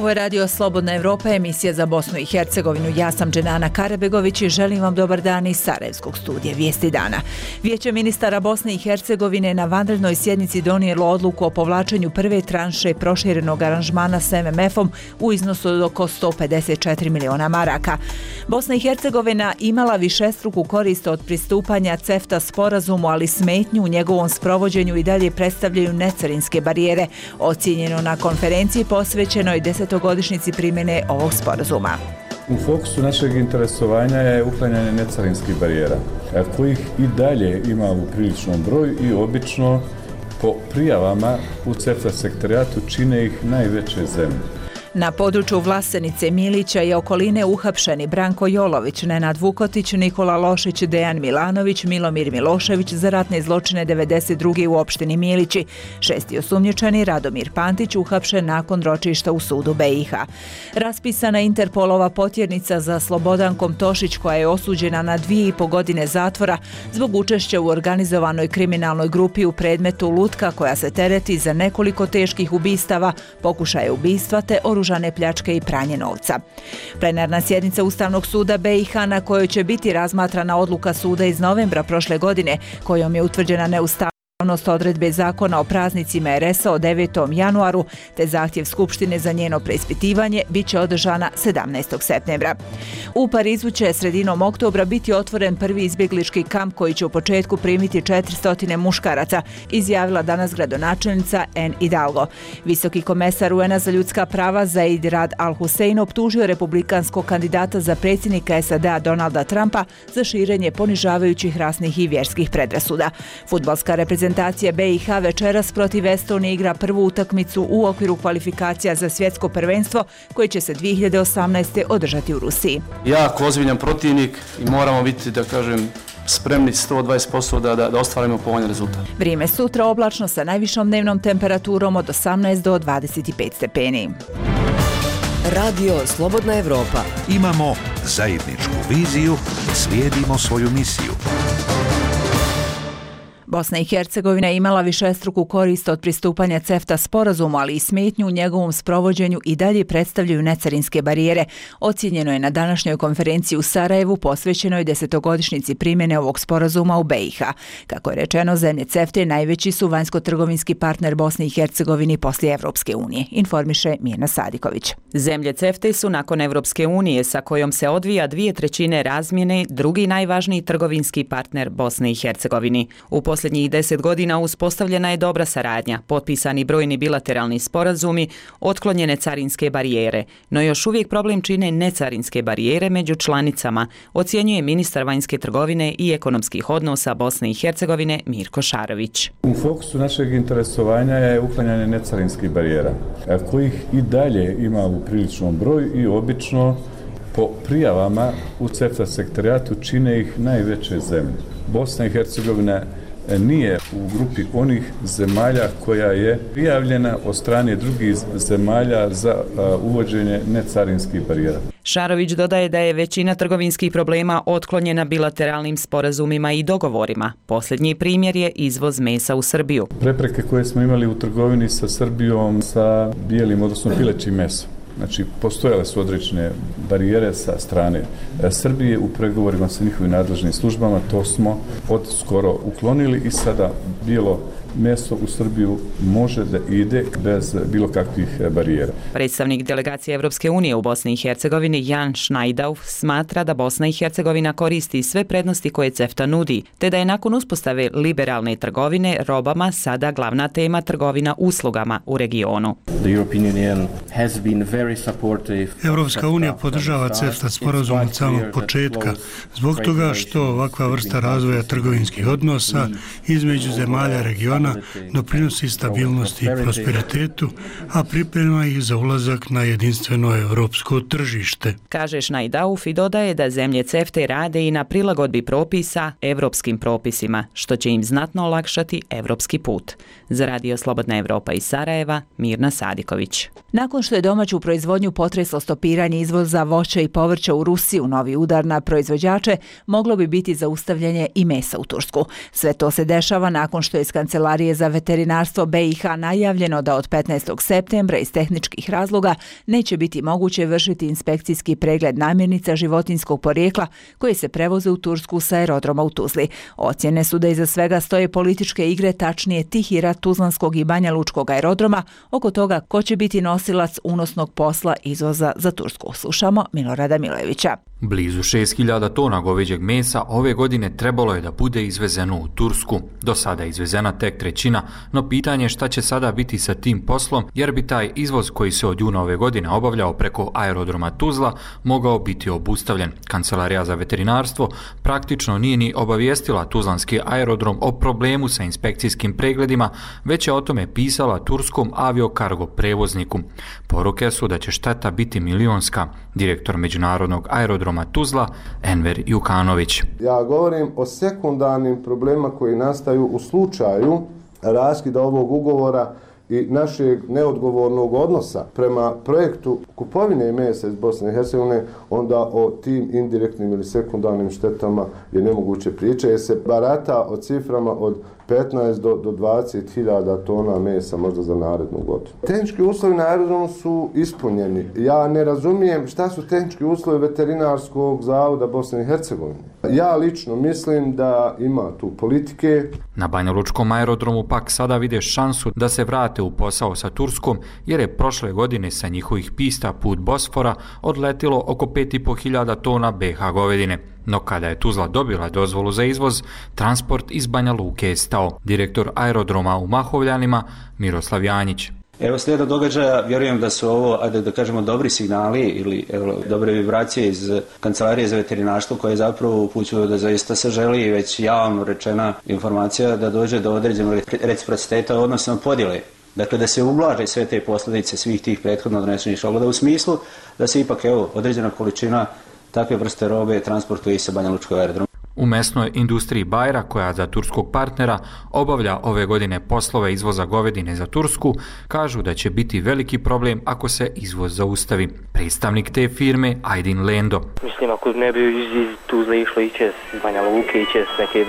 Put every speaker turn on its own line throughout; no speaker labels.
Ovo je Radio Slobodna Evropa, emisija za Bosnu i Hercegovinu. Ja sam Dženana Karabegović i želim vam dobar dan iz Sarajevskog studija Vijesti dana. Vijeće ministara Bosne i Hercegovine na vanrednoj sjednici donijelo odluku o povlačenju prve tranše proširenog aranžmana s MMF-om u iznosu od oko 154 miliona maraka. Bosna i Hercegovina imala višestruku korist od pristupanja CEFTA sporazumu, ali smetnju u njegovom sprovođenju i dalje predstavljaju necarinske barijere, ocijenjeno na konferenciji posvećenoj 10-godišnjici primjene ovog sporazuma.
U fokusu našeg interesovanja je uklanjanje necarinskih barijera, kojih i dalje ima u priličnom broju i obično po prijavama u CEFTA sektorijatu čine ih najveće zemlje.
Na području Vlasenice, Milića i okoline uhapšeni Branko Jolović, Nenad Vukotić, Nikola Lošić, Dejan Milanović, Milomir Milošević za ratne zločine 92. u opštini Milići. 6. osumnjičeni Radomir Pantić uhapšen nakon ročišta u sudu BiH. Raspisana Interpolova potjernica za Slobodankom Tošić, koja je osuđena na 2,5 godine zatvora zbog učešća u organizovanoj kriminalnoj grupi u predmetu Lutka, koja se tereti za nekoliko teških ubistava, pokušaje ubistva te oružane pljačke i pranje novca. Plenarna sjednica Ustavnog suda BiH, na kojoj će biti razmatrana odluka suda iz novembra prošle godine, kojom je utvrđena neustavnost odredbe zakona o praznicima RS-a od 9. januaru, te zahtjev Skupštine za njeno preispitivanje, bit će održana 17. septembra. U Parizu će sredinom oktobra biti otvoren prvi izbjeglički kamp koji će u početku primiti 400 muškaraca, izjavila danas gradonačelnica Anne Hidalgo. Visoki komesar UN-a za ljudska prava Zaid Rad Al-Hussein optužio republikanskog kandidata za predsjednika SAD-a Donalda Trumpa za širenje ponižavajućih rasnih i vjerskih predrasuda. Fudbalska reprezentacija BiH večeras protiv Estonije igra prvu utakmicu u okviru kvalifikacija za svjetsko prvenstvo koje će se 2018. održati u Rusiji.
Jako ozbiljan protivnik i moramo biti, da kažem, spremni 120% da ostvarimo povoljan rezultat.
Vrijeme sutra oblačno sa najvišom dnevnom temperaturom od 18 do 25 stepeni.
Radio Slobodna Evropa.
Imamo zajedničku viziju, slijedimo svoju misiju.
Bosna i Hercegovina je imala višestruku korist od pristupanja CEFTA sporazumu, ali i smetnju u njegovom sprovođenju i dalje predstavljaju necarinske barijere, ocijenjeno je na današnjoj konferenciji u Sarajevu posvećenoj 10-godišnjici primjene ovog sporazuma u BiH. Kako je rečeno, zemlje CEFTA najveći su vanjsko-trgovinski partner Bosne i Hercegovini poslije Evropske unije, informiše Mirna Sadiković.
Zemlje CEFTA su nakon Evropske unije, sa kojom se odvija 2/3 razmjene, drugi najvažniji trgovinski partner Bosne i Hercegovini. U posljednjih 10 godina uspostavljena je dobra saradnja, potpisani brojni bilateralni sporazumi, otklonjene carinske barijere, no još uvijek problem čine necarinske barijere među članicama, ocjenjuje ministar vanjske trgovine i ekonomskih odnosa Bosne i Hercegovine Mirko Šarović.
U fokusu našeg interesovanja je uklanjanje necarinskih barijera, kojih i dalje ima u priličnom broju i obično po prijavama u CEFTA sektorijatu čine ih najveće zemlje. Bosna i Hercegovina nije u grupi onih zemalja koja je prijavljena od strane drugih zemalja za uvođenje necarinskih barijera.
Šarović dodaje da je većina trgovinskih problema otklonjena bilateralnim sporazumima i dogovorima. Posljednji primjer je izvoz mesa u Srbiju.
Prepreke koje smo imali u trgovini sa Srbijom sa bijelim, odnosno pilećim mesom. Znači, postojale su određene barijere sa strane Srbije u pregovorima sa njihovim nadležnim službama, to smo od skoro uklonili i sada bijelo meso u Srbiju može da ide bez bilo kakvih barijera.
Predstavnik delegacije Evropske unije u Bosni i Hercegovini Jan Schneidauf smatra da Bosna i Hercegovina koristi sve prednosti koje CEFTA nudi, te da je nakon uspostave liberalne trgovine robama sada glavna tema trgovina uslugama u regionu.
Evropska unija podržava CEFTA sporazum od samog početka, zbog toga što ovakva vrsta razvoja trgovinskih odnosa između zemalja regiona doprinosi stabilnosti i prosperitetu, a priprema ih za ulazak na jedinstveno evropsko tržište.
Kaže Schneidauf i dodaje da zemlje CEFTA rade i na prilagodbi propisa evropskim propisima, što će im znatno olakšati evropski put. Za Radio Slobodna Evropa iz Sarajeva, Mirna Sadiković.
Nakon što je domaću proizvodnju potreslo stopiranje izvoza voća i povrća u Rusiju, novi udar na proizvođače moglo bi biti zaustavljanje i mesa u Tursku. Sve to se dešava nakon što je iz kancelarije Kancelarije za veterinarstvo BiH najavljeno da od 15. septembra iz tehničkih razloga neće biti moguće vršiti inspekcijski pregled namirnica životinjskog porijekla koje se prevoze u Tursku sa aerodroma u Tuzli. Ocjene su da iza svega stoje političke igre, tačnije tihi rat Tuzlanskog i Banja Lučkog aerodroma oko toga ko će biti nosilac unosnog posla izvoza za Tursku. Slušamo Milorada Milojevića.
Blizu 6.000 tona goveđeg mesa ove godine trebalo je da bude izvezeno u Tursku. Do sada je izvezena tek trećina, no pitanje je šta će sada biti sa tim poslom, jer bi taj izvoz koji se od juna ove godine obavljao preko aerodroma Tuzla mogao biti obustavljen. Kancelarija za veterinarstvo praktično nije ni obavijestila tuzlanski aerodrom o problemu sa inspekcijskim pregledima, već je o tome pisala turskom aviokargo prevozniku. Poruke su da će šteta biti milionska. Direktor međunarodnog aerodroma Tuzla, Enver Jukanović.
Ja govorim o sekundarnim problemima koji nastaju u slučaju raskida ovog ugovora i našeg neodgovornog odnosa prema projektu kupovine mesa iz Bosne i Hercegovine, onda o tim indirektnim ili sekundarnim štetama je nemoguće pričati, jer se barata o ciframa od 15 do 20.000 tona mesa možda za narednu godinu. Tehnički uslovi na aerodromu su ispunjeni. Ja ne razumijem šta su tehnički uslovi veterinarskog zavoda Bosne i Hercegovine. Ja lično mislim da ima tu politike.
Na Banjalučkom aerodromu pak sada vide šansu da se vrate u posao sa Turskom, jer je prošle godine sa njihovih pista put Bosfora odletilo oko 5.500 tona BH govedine. No kada je Tuzla dobila dozvolu za izvoz, transport iz Banja Luke je stao. Direktor aerodroma u Mahovljanima, Miroslav Janjić.
Evo slijedom događaja, vjerujem da su ovo, da kažemo, dobri signali ili dobre vibracije iz Kancelarije za veterinarstvo koje zapravo upućuju da zaista se želi već javno rečena informacija da dođe do određenog reciprociteta, odnosno podjele. Dakle, da se ublaže sve te posljedice svih tih prethodno donesenih odluka u smislu da se ipak određena količina takve vrste robe transportuje sa Banja Lučkog aerodroma.
U mesnoj industriji Bajra, koja za turskog partnera obavlja ove godine poslove izvoza govedine za Tursku, kažu da će biti veliki problem ako se izvoz zaustavi. Predstavnik te firme, Aydin Lendo.
Mislim, ako ne bi iz Tuzle išlo iće s Banja Luke, iće s neke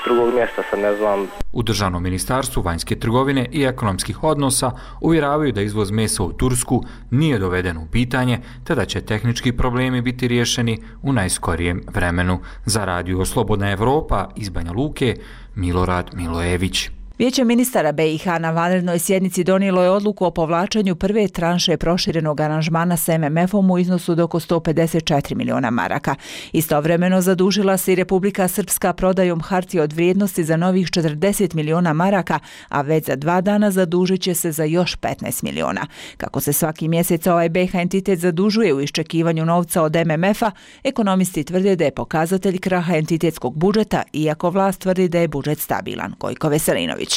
drugog mjesta, sad ne znam.
U Državnom ministarstvu vanjske trgovine i ekonomskih odnosa uvjeravaju da izvoz mesa u Tursku nije doveden u pitanje, te da će tehnički problemi biti riješeni u najskorijem vremenu. Za Radio Slobodna Evropa iz Banja Luke, Milorad Milojević.
Vijeće ministara BiH na vanrednoj sjednici donijelo je odluku o povlačenju prve tranše proširenog aranžmana s MMF-om u iznosu do oko 154 miliona maraka. Istovremeno zadužila se i Republika Srpska prodajom hartija od vrijednosti za novih 40 miliona maraka, a već za 2 dana zadužit će se za još 15 miliona. Kako se svaki mjesec ovaj BiH entitet zadužuje u iščekivanju novca od MMF-a, ekonomisti tvrde da je pokazatelj kraha entitetskog budžeta, iako vlast tvrdi da je budžet stabilan. Gojko Veselinović.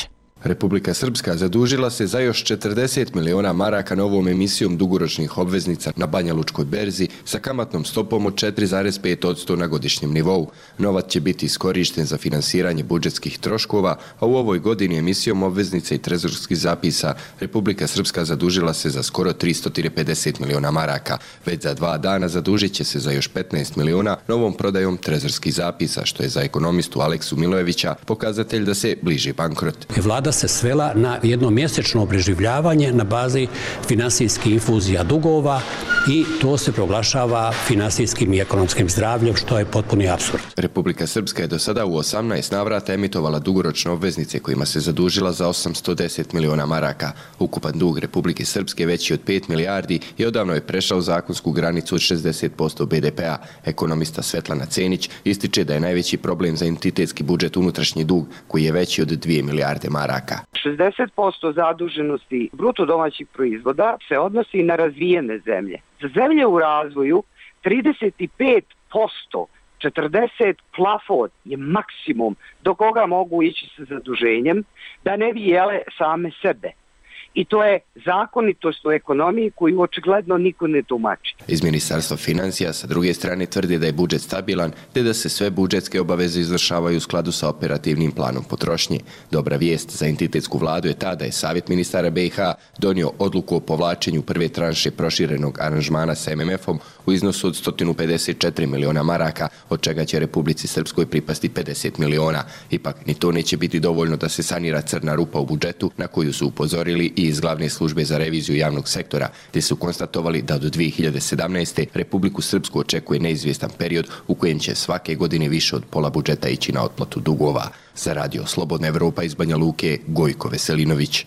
Republika Srpska zadužila se za još 40 miliona maraka novom emisijom dugoročnih obveznica na Banja Lučkoj berzi sa kamatnom stopom od 4,5% na godišnjem nivou. Novac će biti iskorišten za finansiranje budžetskih troškova, a u ovoj godini emisijom obveznica i trezorskih zapisa Republika Srpska zadužila se za skoro 350 miliona maraka. Već za 2 dana zadužit će se za još 15 miliona novom prodajom trezorskih zapisa, što je za ekonomistu Aleksu Milojevića pokazatelj da se bliži bankrot.
Vlada se svela na jedno mjesečno preživljavanje na bazi finansijskih infuzija dugova i to se proglašava finansijskim i ekonomskim zdravljem, što je potpuni apsurd.
Republika Srpska je do sada u 18 navrata emitovala dugoročne obveznice kojima se zadužila za 810 miliona maraka. Ukupan dug Republike Srpske veći od 5 milijardi i odavno je prešao zakonsku granicu od 60% BDP-a. Ekonomista Svetlana Cenić ističe da je najveći problem za entitetski budžet unutrašnji dug, koji je veći od 2 milijarde maraka.
60% zaduženosti bruto domaćih proizvoda se odnosi na razvijene zemlje. Za zemlje u razvoju 35%, 40 plafon je maksimum do koga mogu ići sa zaduženjem da ne bi jele same sebe. I to je zakonitost u ekonomiji koju očigledno niko ne tumači.
Iz Ministarstva financija sa druge strane tvrdi da je budžet stabilan te da se sve budžetske obaveze izvršavaju u skladu sa operativnim planom potrošnje. Dobra vijest za entitetsku vladu je ta da je Savjet ministara BiH donio odluku o povlačenju prve tranše proširenog aranžmana sa MMF-om u iznosu od 154 miliona maraka, od čega će Republici Srpskoj pripasti 50 miliona. Ipak, ni to neće biti dovoljno da se sanira crna rupa u budžetu, na koju su upozorili i iz Glavne službe za reviziju javnog sektora, te su konstatovali da do 2017. Republiku Srpsku očekuje neizvjestan period u kojem će svake godine više od pola budžeta ići na otplatu dugova. Za Radio Slobodna Evropa iz Banja Luke, Gojko Veselinović.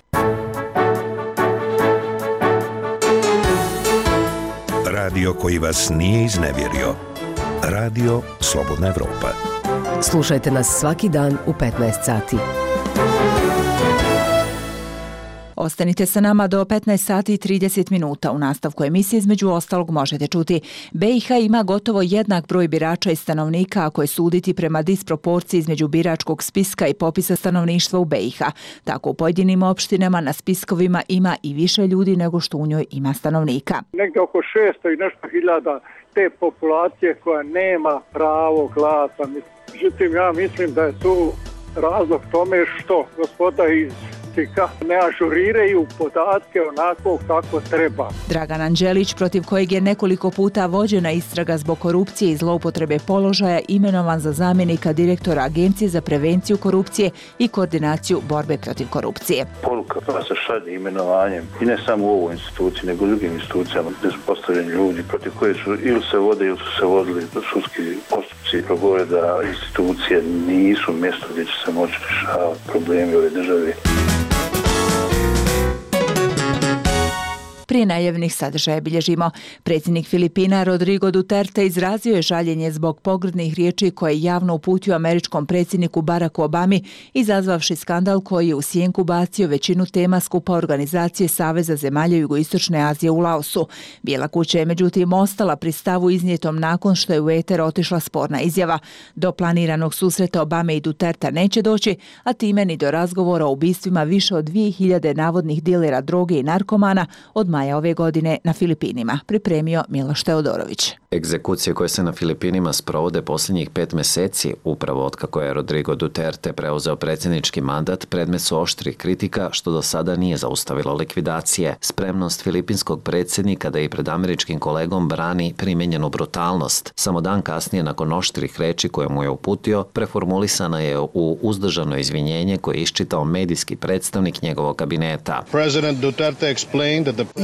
Radio koji vas nije iznevjerio. Radio Slobodna Evropa.
Slušajte nas svaki dan u 15 sati.
Ostanite sa nama do 15 sati i 30 minuta. U nastavku emisije između ostalog možete čuti: BiH ima gotovo jednak broj birača i stanovnika ako je suditi prema disproporciji između biračkog spiska i popisa stanovništva u BiH. Tako u pojedinim opštinama na spiskovima ima i više ljudi nego što u njoj ima stanovnika.
Negdje oko 600 i nešto hiljada te populacije koja nema pravo glasa. Međutim, ja mislim da je tu razlog tome što gospoda iz ne ažuriraju podatke onako kako treba.
Dragan Anđelić, protiv kojeg je nekoliko puta vođena istraga zbog korupcije i zloupotrebe položaja, imenovan za zamjenika direktora Agencije za prevenciju korupcije i koordinaciju borbe protiv korupcije.
Poruka koja se šalje imenovanjem, i ne samo u ovoj instituciji, nego u drugim institucijama gdje su postavljeni ljudi protiv koje su ili se vode ili su se vodili sudski postupci, progovore da institucije nisu mjesto gdje će se moći rješavati problemi ove države.
Prije najavljenih sadržaja bilježimo. Predsjednik Filipina Rodrigo Duterte izrazio je žaljenje zbog pogrdnih riječi koje je javno uputio američkom predsjedniku Baracku Obami, izazvavši skandal koji je u sjenku bacio većinu tema skupa organizacije Saveza zemalja Jugoistočne Azije u Laosu. Bijela kuća je međutim ostala pri stavu iznijetom nakon što je u eter otišla sporna izjava. Do planiranog susreta Obame i Duterte neće doći, a time ni do razgovora o ubistvima više od 2000 navodnih dilera droge i narkomana od maja ove godine na Filipinima, pripremio Miloš Teodorović.
Egzekucije koje se na Filipinima sprovode posljednjih 5 mjeseci, upravo otkako je Rodrigo Duterte preuzeo predsjednički mandat, predmet su oštrih kritika što do sada nije zaustavilo likvidacije. Spremnost filipinskog predsjednika da i pred američkim kolegom brani primijenjenu brutalnost. Samo dan kasnije, nakon oštrih reči koje mu je uputio, preformulisana je u uzdržano izvinjenje koje je iščitao medijski predstavnik njegovog kabineta.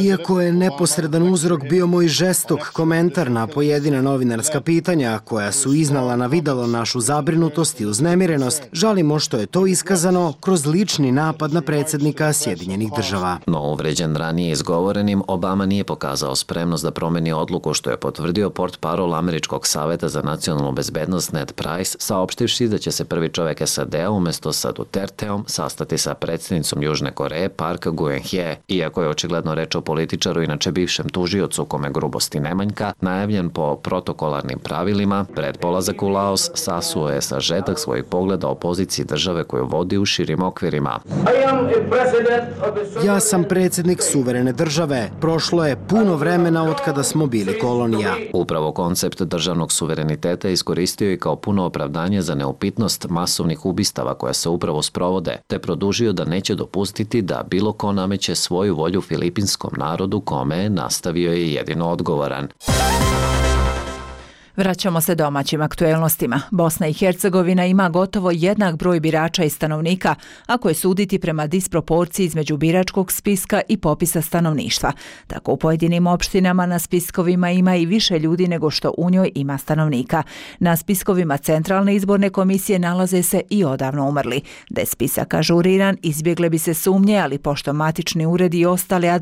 Iako je neposredan uzrok bio moj žestok komentar na pojedina novinarska pitanja koja su iznala na videlo našu zabrinutost i uznemirenost, žalimo što je to iskazano kroz lični napad na predsjednika Sjedinjenih država.
No uvređen ranije izgovorenim, Obama nije pokazao spremnost da promeni odluku, što je potvrdio portparol Američkog saveta za nacionalnu bezbednost Ned Price, saopštivši da će se prvi čovjek SAD-a umjesto sa Duterteom sastati sa predsjednicom Južne Koreje Park Geun-hye. Iako je očigledno reč o političaru, inače bivšem tužiocu kome grubosti ne manjka, najavljen po protokolarnim pravilima, pred polazak u Laos sasuo je sažetak svojih pogleda o poziciji države koju vodi u širim okvirima.
Ja sam predsjednik suverene države. Prošlo je puno vremena od kada smo bili kolonija.
Upravo koncept državnog suvereniteta iskoristio i kao puno opravdanje za neupitnost masovnih ubistava koja se upravo sprovode, te produžio da neće dopustiti da bilo ko nameće svoju volju filipinskom narodu kome nastavio je jedino odgovoran.
Vraćamo se domaćim aktuelnostima. Bosna i Hercegovina ima gotovo jednak broj birača i stanovnika, ako je suditi prema disproporciji između biračkog spiska i popisa stanovništva. Tako u pojedinim opštinama na spiskovima ima i više ljudi nego što u njoj ima stanovnika. Na spiskovima Centralne izborne komisije nalaze se i odavno umrli. Da je spisak ažuriran, izbjegle bi se sumnje, ali pošto matični uredi i ostale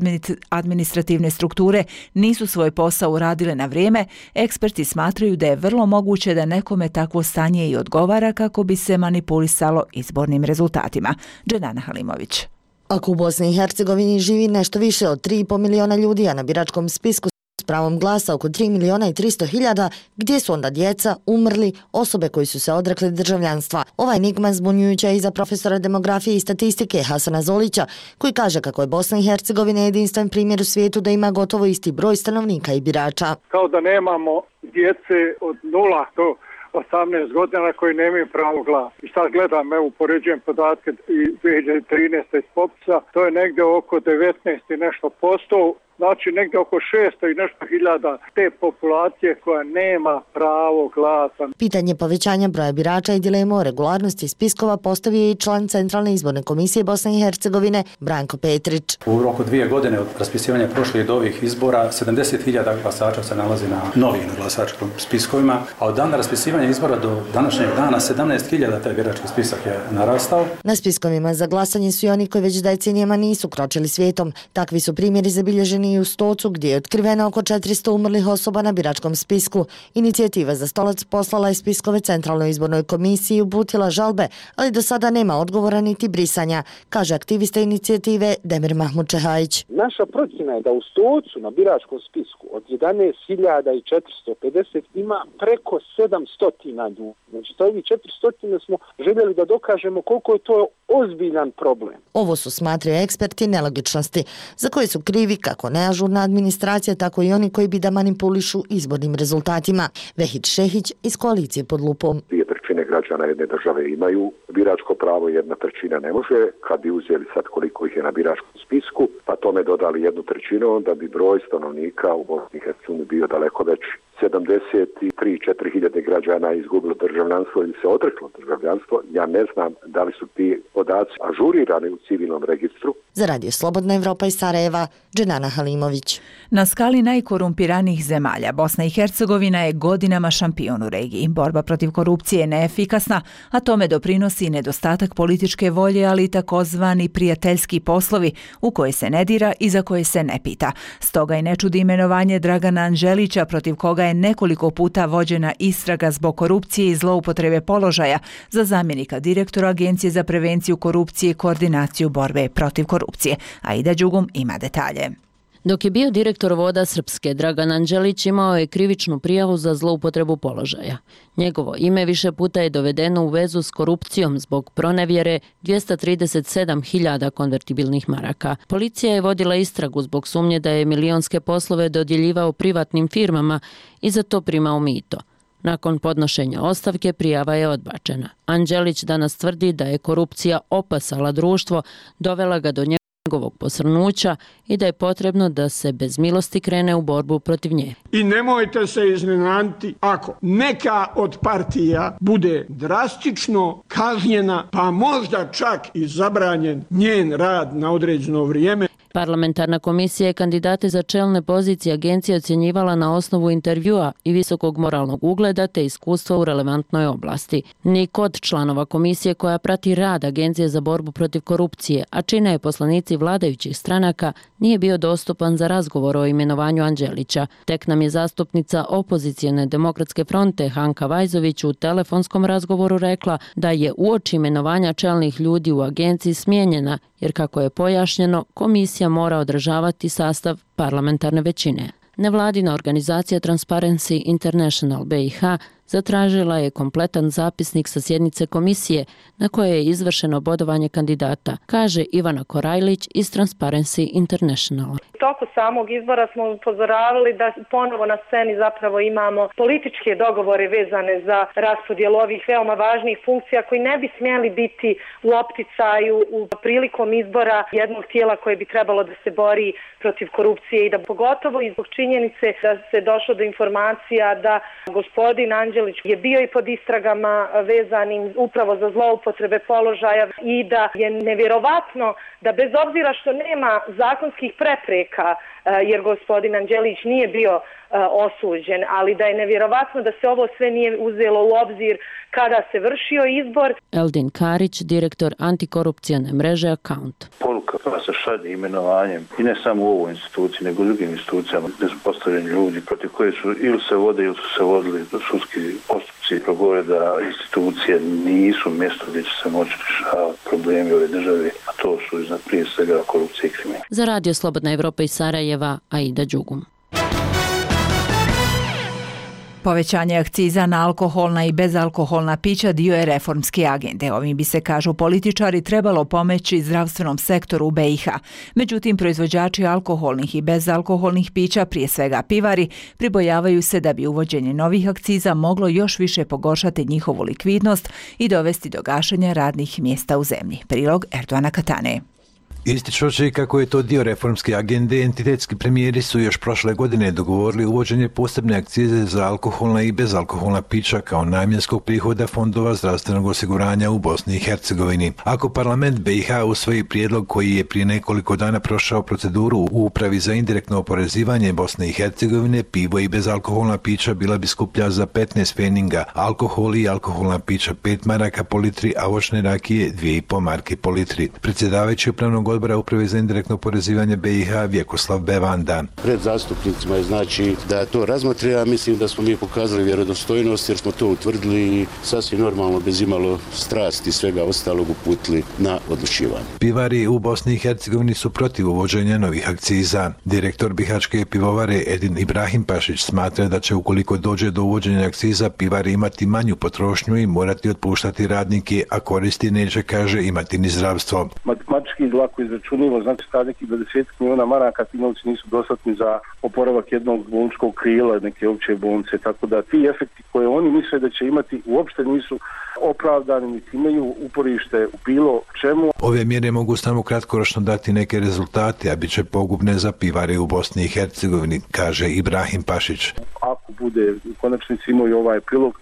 administrativne strukture nisu svoj posao uradile na vrijeme, eksperti smatraju da je vrlo moguće da nekome takvo stanje i odgovara kako bi se manipulisalo izbornim rezultatima. Dženana Halimović.
Ako u Bosni i Hercegovini živi nešto više od 3,5 miliona ljudi, a na biračkom spisku S pravom glasa oko 3.300.000, gdje su onda djeca, umrli, osobe koji su se odrekli državljanstva. Ova enigma zbunjujuća i za profesora demografije i statistike Hasana Zolića, koji kaže kako je Bosna i Hercegovina jedinstven primjer u svijetu da ima gotovo isti broj stanovnika i birača.
Kao da nemamo djece od 0 do 18 godina koji nemaju pravo glasa. I sad gledam, evo, upoređujem podatke i 2013. iz popisa, to je negdje oko 19 i nešto posto, znači negdje oko 600 i nešto hiljada te populacije koja nema pravo glasa.
Pitanje povećanja broja birača i dilemu o regularnosti spiskova postavio je i član Centralne izborne komisije Bosne i Hercegovine Branko Petrić.
U roku 2 godine od raspisivanja prošlih do ovih izbora 70.000 glasača se nalazi na novim glasačkim spiskovima, a od dana raspisivanja izbora do današnjeg dana 17.000 taj birački spisak je narastao.
Na spiskovima za glasanje su i oni koji već decenijama nisu kročili svijetom. Takvi su primjeri zabilježeni i u Stocu, gdje je otkriveno oko 400 umrlih osoba na biračkom spisku. Inicijativa za Stolac poslala je spiskove Centralnoj izbornoj komisiji i uputila žalbe, ali do sada nema odgovora niti brisanja, kaže aktivista inicijative Demir Mahmud Čehajić.
Naša procjena je da u Stocu na biračkom spisku od 11.450 ima preko 700 ljudi. Znači, to ovih 400 smo željeli da dokažemo koliko je to ozbiljan problem.
Ovo su, smatraju eksperti, nelogičnosti, za koje su krivi kako neažurna administracija, tako i oni koji bi da manipulišu izbornim rezultatima. Vehid Šehić iz koalicije Pod lupom.
2/3 građana jedne države imaju biračko pravo, 1/3 ne može. Kad bi uzeli sad koliko ih je na biračkom spisku, pa tome dodali 1/3, onda bi broj stanovnika u Bosni i Hercegovini bio daleko veći. 73-4 hiljade građana izgubilo državljanstvo ili se odreklo državljanstvo. Ja ne znam da li su ti podaci ažurirani u civilnom registru.
Za Radio Slobodna Evropa iz Sarajeva, Dženana Halimović.
Na skali najkorumpiranijih zemalja, Bosna i Hercegovina je godinama šampion u regiji. Borba protiv korupcije je neefikasna, a tome doprinosi nedostatak političke volje, ali i takozvani prijateljski poslovi u koje se ne dira i za koje se ne pita. Stoga i ne čudi imenovanje Dragana Anđelića, protiv koga je nekoliko puta vođena istraga zbog korupcije i zloupotrebe položaja za zamjenika direktora Agencije za prevenciju korupcije i koordinaciju borbe protiv korupcije. Aida Đugum ima detalje.
Dok je bio direktor Voda Srpske, Dragan Anđelić imao je krivičnu prijavu za zloupotrebu položaja. Njegovo ime više puta je dovedeno u vezu s korupcijom zbog pronevjere 237.000 konvertibilnih maraka. Policija je vodila istragu zbog sumnje da je milionske poslove dodjeljivao privatnim firmama i za to primao mito. Nakon podnošenja ostavke prijava je odbačena. Anđelić danas tvrdi da je korupcija opasala društvo, dovela ga do njegovog posrnuća i da je potrebno da se bez milosti krene u borbu protiv nje.
I nemojte se iznenaditi ako neka od partija bude drastično kažnjena, pa možda čak i zabranjen njen rad na određeno vrijeme.
Parlamentarna komisija je kandidate za čelne pozicije agencije ocjenjivala na osnovu intervjua i visokog moralnog ugleda te iskustva u relevantnoj oblasti. Nik od članova komisije koja prati rad Agencije za borbu protiv korupcije, a čine je poslanici vladajućih stranaka, nije bio dostupan za razgovor o imenovanju Anđelića. Tek nam je zastupnica opozicijone Demokratske fronte Hanka Vajzović u telefonskom razgovoru rekla da je uoči imenovanja čelnih ljudi u agenciji smijenjena, jer kako je pojašnjeno, komisija mora održavati sastav parlamentarne većine. Nevladina organizacija Transparency International BiH zatražila je kompletan zapisnik sa sjednice komisije na kojoj je izvršeno bodovanje kandidata, kaže Ivana Korajlić iz Transparency International.
Toko samog izbora smo upozoravali da ponovo na sceni zapravo imamo političke dogovore vezane za raspodjelu ovih veoma važnih funkcija koji ne bi smjeli biti u opticaju u prilikom izbora jednog tijela koje bi trebalo da se bori protiv korupcije i da pogotovo i zbog činjenice da se došlo do informacija da gospodin Anđelić je bio i pod istragama vezanim upravo za zloupotrebe položaja i da je nevjerovatno da bez obzira što nema zakonskih prepreka, jer gospodin Anđelić nije bio osuđen, ali da je nevjerovatno da se ovo sve nije uzelo u obzir kada se vršio izbor.
Eldin Karić, direktor antikorupcijane mreže Account.
Poruka koja se šalje imenovanjem i ne samo u ovoj instituciji, nego u drugim institucijama gdje su postavljeni ljudi protiv koje su ili se vode ili su se vodili sudski postupci, progovore da institucije nisu mjesto gdje će se moći rješavati problemi ove države, a to su iznad prije svega korupcije i kriminal.
Za Radio Slobodna Evropa iz Sarajeva, Aida Đugum.
Povećanje akciza na alkoholna i bezalkoholna pića dio je reformske agende. Ovim bi se, kažu političari, trebalo pomoći zdravstvenom sektoru u BiH. Međutim, proizvođači alkoholnih i bezalkoholnih pića, prije svega pivari, pribojavaju se da bi uvođenje novih akciza moglo još više pogoršati njihovu likvidnost i dovesti do gašenja radnih mjesta u zemlji. Prilog Erdoana Katane.
Ističući kako je to dio reformske agende, entitetski premijeri su još prošle godine dogovorili uvođenje posebne akcize za alkoholna i bezalkoholna pića kao namjenskog prihoda fondova zdravstvenog osiguranja u Bosni i Hercegovini. Ako parlament BiH usvoji prijedlog koji je prije nekoliko dana prošao proceduru u Upravi za indirektno oporezivanje Bosne i Hercegovine, pivo i bezalkoholna pića bila bi skuplja za 15 pfeninga, alkohol i alkoholna pića 5 maraka po litri, a voćne rakije 2,5 marke po litri. Predsjedavajući upravnog odbora Uprave za indirektno oporezivanje BiH Vjekoslav Bevanda.
Pred zastupnicima je znači da to razmotri, a mislim da smo mi pokazali vjerodostojnost jer smo to utvrdili i sasvim normalno bez imalo strasti i svega ostalog uputili na odlučivanje.
Pivari u Bosni i Hercegovini su protiv uvođenja novih akciza. Direktor bihačke pivovare Edin Ibrahim Pašić smatra da će ukoliko dođe do uvođenja akciza pivari imati manju potrošnju i morati otpuštati radnike, a koristi neće, kaže, imati ni zdravstvo.
Matematički lako izračunivo, znači da nekih 20 milijuna maraka ti novci nisu dostatni za oporavak jednog bolničkog krila, neke opće bolnice, tako da ti efekti koje oni misle da će imati uopšte nisu opravdani, niti imaju uporište u bilo čemu.
Ove mjere mogu samo kratkoročno dati neke rezultate, a bit će pogubne za pivare u Bosni i Hercegovini, kaže Ibrahim Pašić.
Ako bude u konačnici imaju ovaj prilog,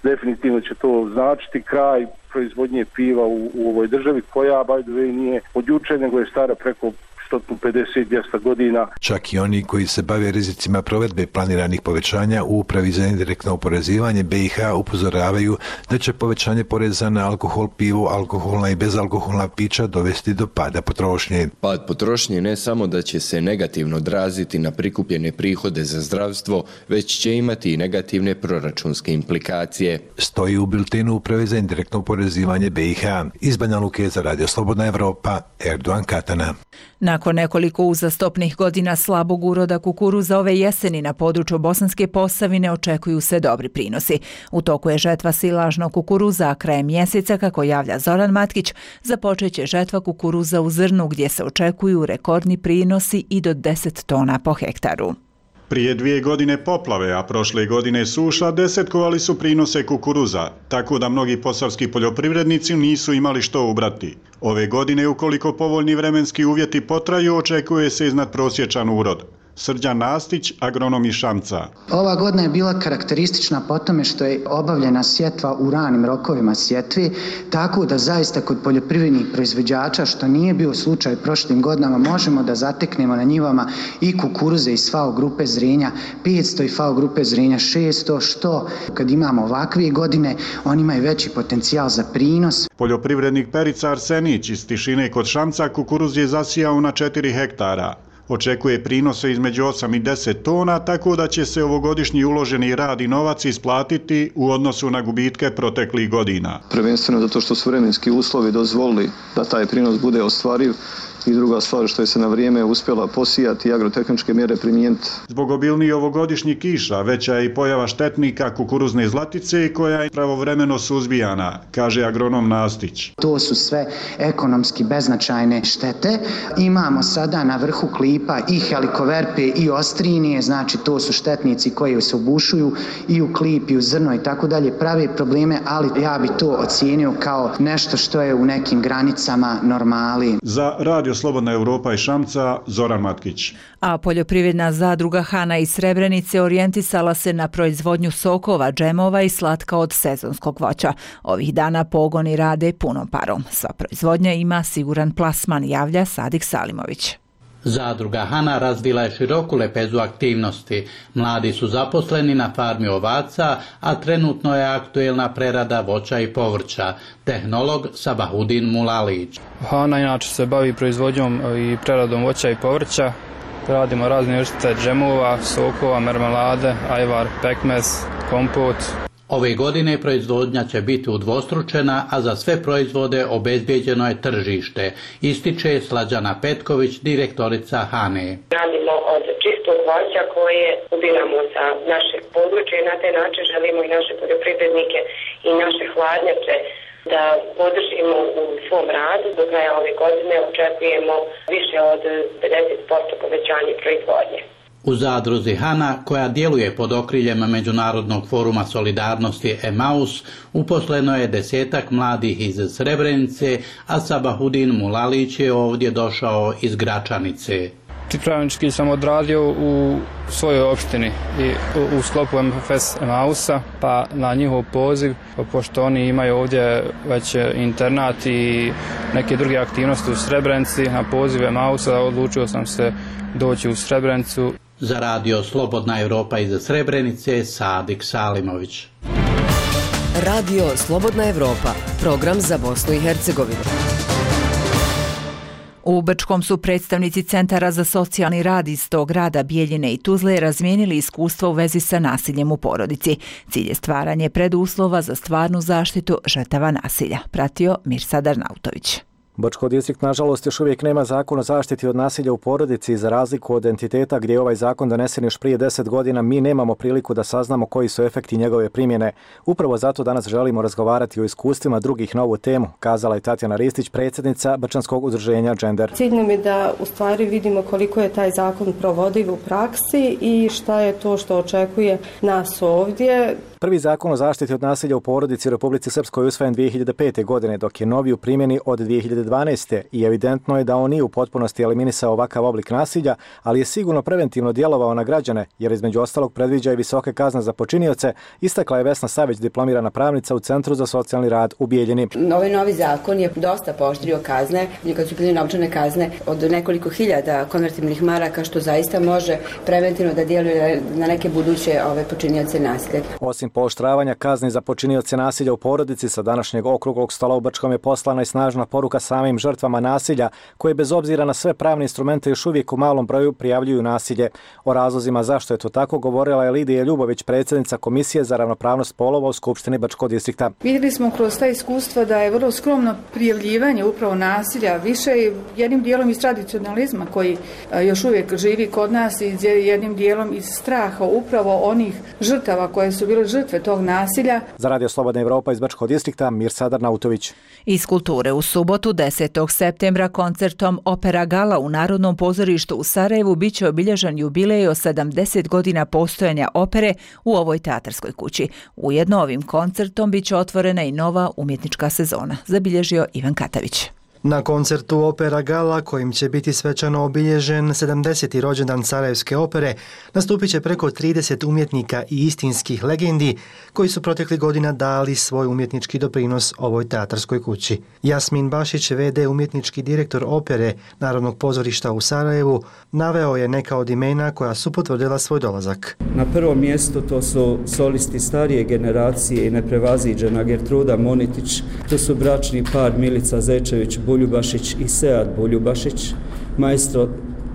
definitivno će to značiti kraj proizvodnje piva u ovoj državi koja, by the way, nije od juče, nego je stara preko 150-200 godina.
Čak i oni koji se bave rizicima provedbe planiranih povećanja u Upravi za indirektno oporezivanje BiH upozoravaju da će povećanje poreza na alkohol, pivo, alkoholna i bezalkoholna pića dovesti do pada potrošnje.
Pad potrošnje ne samo da će se negativno odraziti na prikupljene prihode za zdravstvo, već će imati i negativne proračunske implikacije.
Stoji u biltenu Uprave za indirektno oporezivanje BiH. Iz Banja Luke za Radio Slobodna Evropa, Erdoan Katana.
Nakon nekoliko uzastopnih godina slabog uroda kukuruza ove jeseni na području Bosanske Posavine očekuju se dobri prinosi. U toku je žetva silažnog kukuruza, a krajem mjeseca, kako javlja Zoran Matkić, započeće žetva kukuruza u zrnu gdje se očekuju rekordni prinosi i do 10 tona po hektaru.
Prije 2 godine poplave, a prošle godine suša, desetkovali su prinose kukuruza, tako da mnogi posavski poljoprivrednici nisu imali što ubrati. Ove godine, ukoliko povoljni vremenski uvjeti potraju, očekuje se iznadprosječan urod. Srđan Nastić, agronom iz Šamca.
Ova godina je bila karakteristična po tome što je obavljena sjetva u ranim rokovima sjetve, tako da zaista kod poljoprivrednih proizvođača, što nije bio slučaj prošlim godinama, možemo da zateknemo na njivama i kukuruze iz FAO grupe zrenja 500 i FAO grupe zrenja 600, što kad imamo ovakve godine, oni imaju veći potencijal za prinos.
Poljoprivrednik Perica Arsenić iz Tišine kod Šamca kukuruz je zasijao na 4 hektara. Očekuje prinose između 8 i 10 tona, tako da će se ovogodišnji uloženi rad i novac isplatiti u odnosu na gubitke proteklih godina.
Prvenstveno zato što su vremenski uslovi dozvolili da taj prinos bude ostvariv i druga stvar što je se na vrijeme uspjela posijati i agrotehničke mjere primijeniti.
Zbog obilnijih ovogodišnjih kiša veća je i pojava štetnika kukuruzne zlatice koja je pravovremeno suzbijana, kaže agronom Nastić.
To su sve ekonomski beznačajne štete. Imamo sada na vrhu klipa i helikoverpe i ostrinije, znači to su štetnici koji se obušuju i u klip i u zrno i tako dalje, prave probleme, ali ja bi to ocijenio kao nešto što je u nekim granicama normali.
Za Radio Slobodna Evropa i Šamca, Zoran Matkić.
A poljoprivredna zadruga Hana iz Srebrenice orijentisala se na proizvodnju sokova, džemova i slatka od sezonskog voća. Ovih dana pogoni rade punom parom. Sva proizvodnja ima siguran plasman, javlja Sadik Salimović.
Zadruga Hana razvila je široku lepezu aktivnosti. Mladi su zaposleni na farmi ovaca, a trenutno je aktuelna prerada voća i povrća. Tehnolog Sabahudin Mulalić.
Hana inače se bavi proizvodnjom i preradom voća i povrća. Radimo razne vrste džemova, sokova, mermelade, ajvar, pekmez, kompot.
Ove godine proizvodnja će biti udvostručena, a za sve proizvode obezbijeđeno je tržište, ističe Slađana Petković, direktorica Hane.
Radimo od čistog
tog voća koje ubiramo sa našeg područja i na taj način želimo i naše poljoprivrednike i naše hladnjače da podržimo u svom radu. Do kraja ove godine očekujemo više od 50% povećanje proizvodnje.
U zadruzi Hana, koja djeluje pod okriljem Međunarodnog foruma solidarnosti Emaus, uposleno je 10 mladih iz Srebrenice, a Sabahudin Mulalić je ovdje došao iz Gračanice.
Pripravnički sam odradio u svojoj opštini i u sklopu MFS Emausa, pa na njihov poziv, pošto oni imaju ovdje već internat i neke druge aktivnosti u Srebrenici, na poziv Emausa odlučio sam se doći u Srebrenicu.
Za radio Slobodna Evropa iz Srebrenice, Sadik Salimović.
Radio Slobodna Evropa, program za Bosnu i Hercegovinu.
U Brčkom su predstavnici Centara za socijalni rad iz tog grada Bijeljine i Tuzle razmijenili iskustva u vezi sa nasiljem u porodici. Cilj je stvaranje preduslova za stvarnu zaštitu žrtava nasilja. Pratio Mirsadar Nautović.
Brčko distrikt nažalost još uvijek nema zakon o zaštiti od nasilja u porodici i za razliku od entiteta gdje je ovaj zakon donesen još prije 10 godina, mi nemamo priliku da saznamo koji su efekti njegove primjene. Upravo zato danas želimo razgovarati o iskustvima drugih na ovu temu, kazala je Tatjana Ristić, predsjednica Brčanskog udruženja Gender.
Cilj nam je da u stvari vidimo koliko je taj zakon provodiv u praksi i šta je to što očekuje nas ovdje.
Prvi zakon o zaštiti od nasilja u porodici u Republici Srpskoj usvojen 2005. godine, dok je novi u primjeni od 2012. i evidentno je da on nije u potpunosti eliminisao ovakav oblik nasilja, ali je sigurno preventivno djelovao na građane, jer između ostalog predviđa i visoke kazne za počinioce, istakla je Vesna Savić, diplomirana pravnica u Centru za socijalni rad u Bijeljini.
Ovaj novi zakon je dosta pooštrio kazne, kad su bile novčane kazne od nekoliko hiljada konvertibilnih maraka, što zaista može preventivno da djeluje na neke buduće počinioce nasilja.
Osim pooštravanja kazni za počinioce nasilja u porodici, sa današnjeg okruglog stola u Brčkom je poslana i snažna poruka samim žrtvama nasilja, koje bez obzira na sve pravne instrumente još uvijek u malom broju prijavljuju nasilje. O razlozima zašto je to tako govorila je Lidija Ljubović, predsjednica Komisije za ravnopravnost polova u Skupštini Brčkog distrikta.
Vidjeli smo kroz ta iskustva da je vrlo skromno prijavljivanje upravo nasilja, više jednim dijelom iz tradicionalizma koji još uvijek živi kod nas i jednim dijelom iz straha upravo onih žrtava koje su bile žrtve tog nasilja.
Za Radio Slobodna Evropa iz Brčkog distrikta, Mirsadar Nautović.
Iz kulture u subotu 10. septembra koncertom Opera Gala u Narodnom pozorištu u Sarajevu biće obilježen jubilej od 70 godina postojanja opere u ovoj teatarskoj kući. Ujedno ovim koncertom biće otvorena i nova umjetnička sezona, zabilježio Ivan Katavić.
Na koncertu Opera Gala, kojim će biti svečano obilježen 70. rođendan Sarajevske opere, nastupit će preko 30 umjetnika i istinskih legendi koji su proteklih godina dali svoj umjetnički doprinos ovoj teatarskoj kući. Jasmin Bašić, VD umjetnički direktor opere Narodnog pozorišta u Sarajevu, naveo je neka od imena koja su potvrdila svoj dolazak.
Na prvom mjestu to su solisti starije generacije i neprevaziđena Gertruda Monitić, to su bračni par Milica Zečević Buljubašić i Sead Buljubašić, maestro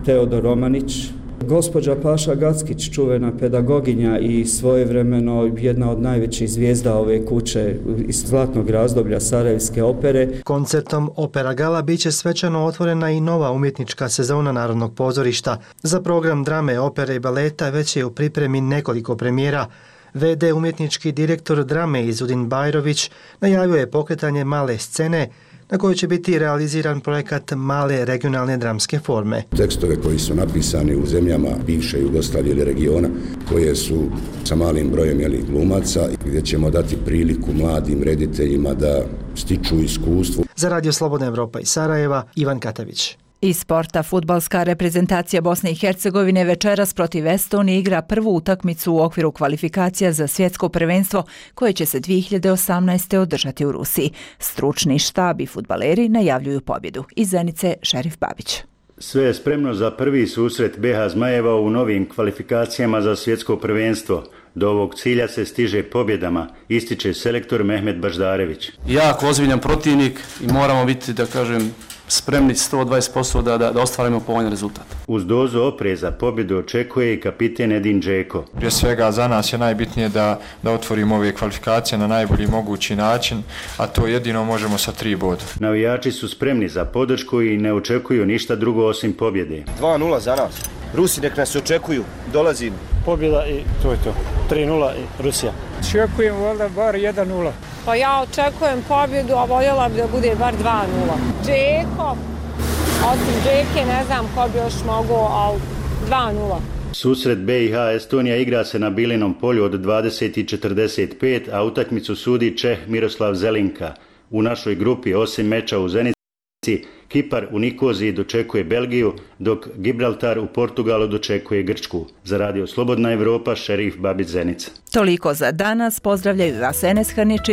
Teodor Romanić, gospođa Paša Gackić, čuvena pedagoginja i svojevremeno jedna od najvećih zvijezda ove kuće iz zlatnog razdoblja Sarajevske opere.
Koncertom Opera Gala biće svečano otvorena i nova umjetnička sezona Narodnog pozorišta. Za program drame, opere i baleta već je u pripremi nekoliko premijera. VD umjetnički direktor drame Izudin Bajrović najavio je pokretanje male scene na kojoj će biti realiziran projekat male regionalne dramske forme.
Tekstove koji su napisani u zemljama bivše Jugoslavije ili regiona, koje su sa malim brojem glumaca, gdje ćemo dati priliku mladim rediteljima da stiču iskustvo.
Za Radio Slobodna Evropa iz Sarajeva, Ivan Katavić.
Iz sporta, fudbalska reprezentacija Bosne i Hercegovine večeras protiv Estonije igra prvu utakmicu u okviru kvalifikacija za svjetsko prvenstvo koje će se 2018. održati u Rusiji. Stručni štab i fudbaleri najavljuju pobjedu. Iz Zenice, Šerif Babić.
Sve je spremno za prvi susret BiH Zmajeva u novim kvalifikacijama za svjetsko prvenstvo. Do ovog cilja se stiže pobjedama, ističe selektor Mehmet Baždarević.
Jako ozbiljan protivnik i moramo biti, da kažem, spremni 120% da ostvarimo povoljan rezultat.
Uz dozu opreza pobjedu očekuje i kapiten Edin Džeko.
Prije svega za nas je najbitnije da otvorimo ove kvalifikacije na najbolji mogući način, a to jedino možemo sa 3 boda.
Navijači su spremni za podršku i ne očekuju ništa drugo osim pobjede.
2-0 za nas.
Rusi nek nas očekuju, dolazim.
Pobjeda i to je to. 3-0 i Rusija. Očekujem valjda bar 1-0.
Pa ja očekujem pobjedu, a voljela bi da bude bar 2-0. Džeko, osim Džeke ne znam ko bi još mogao, ali 2-0.
Susret BiH Estonija igra se na Bilinom polju od 20:45, a utakmicu sudi Čeh Miroslav Zelinka. U našoj grupi osim meča u Zenici, Kipar u Nikoziji dočekuje Belgiju, dok Gibraltar u Portugalu dočekuje Grčku. Za Radio Slobodna Evropa, Šerif Babić Zenica.
Toliko za danas. Pozdravljaju vas Enes Hrničić